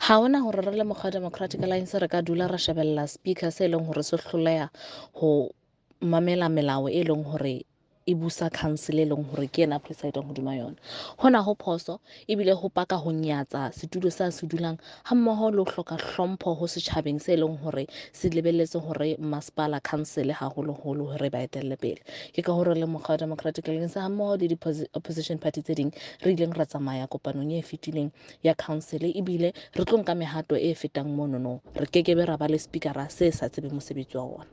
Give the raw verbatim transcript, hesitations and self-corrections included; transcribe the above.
Ha hona hore re le mokgwa wa Democratic Alliance re ka dula ra shebella speaker se leng hore se hloleha ho mamela melao e leng hore e busa council e leng hore ke yena a presidang hodima yona. Hona ho phoso ebile ho paka ho nyatsa setulo sa se dulang ha mmoho le ho hloka hlompho ho setjhabeng se leng hore se lebelletse hore masepala council haholoholo hore ba etelle pele. Ke ka hore le mokgwa wa Democratic Alliance ha mmoho le di-opposition party tse ding re ileng ra tsamaya kopanong e fetileng ya council ebile re tlo nka mehato e fetang monono. Re kekebe ra ba le speakera se sa tsebeng mosebetsi wa ona.